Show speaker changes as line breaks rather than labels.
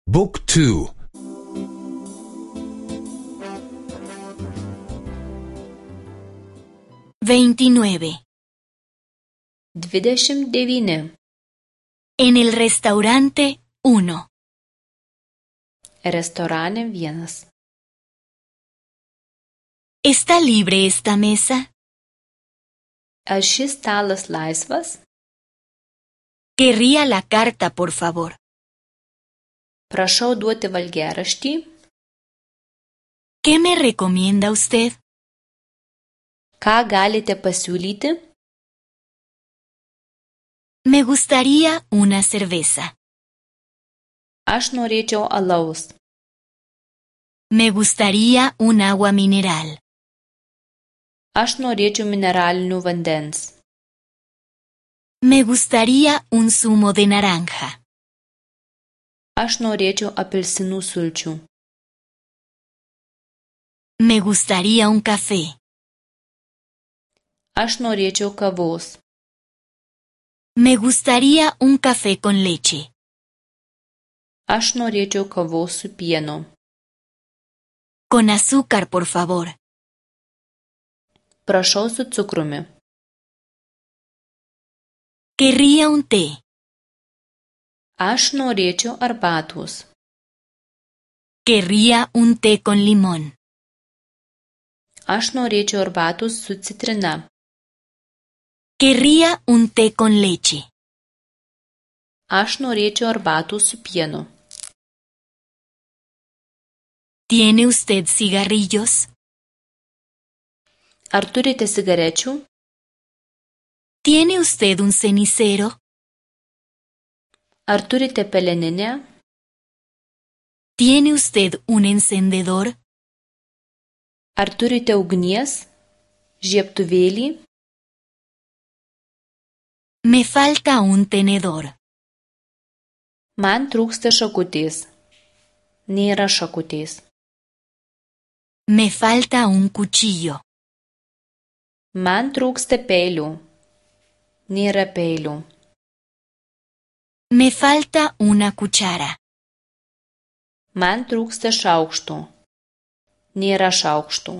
Book 2.
29.
29.
En el restaurante 1.
Restorane 1.
¿Está libre esta mesa?
Ar šis stalas laisvas?
Querría la carta, por favor.
Prašau duoti valgiaraštį.
¿Qué me recomienda usted?
Ką galite pasiūlyti?
Me gustaría una cerveza.
Aš norėčiau alaus.
Me gustaría un agua mineral.
Aš norėčiau mineralinių vandens.
Me gustaría un zumo de naranja.
Aš norėčiau apelsinų sulčių.
Me gustaría un café.
Aš norėčiau kavos.
Me gustaría un café con leche.
Aš norėčiau kavos su pienu.
Con azúcar, por favor.
Prašau su cukrumi.
Querría un té.
Aš norėčiau arbatos.
Querría un té con limón.
Aš norėčiau arbatos su citrina.
Querría un té con leche.
Aš norėčiau arbatos su pienu.
¿Tiene usted cigarrillos?
Ar turite cigarečių?
¿Tiene usted un cenicero?
Ar turite peleninę?
¿Tiene usted un encendedor?
Ar turite ugnies? Žiebtuvėlį?
Me falta un tenedor.
Man trūksta šakutės. Nėra šakutės.
Me falta un cuchillo.
Man trūksta peilių. Nėra peilių.
Me falta una cuchara.
Man trūksta šaukštų. Nėra šaukštų.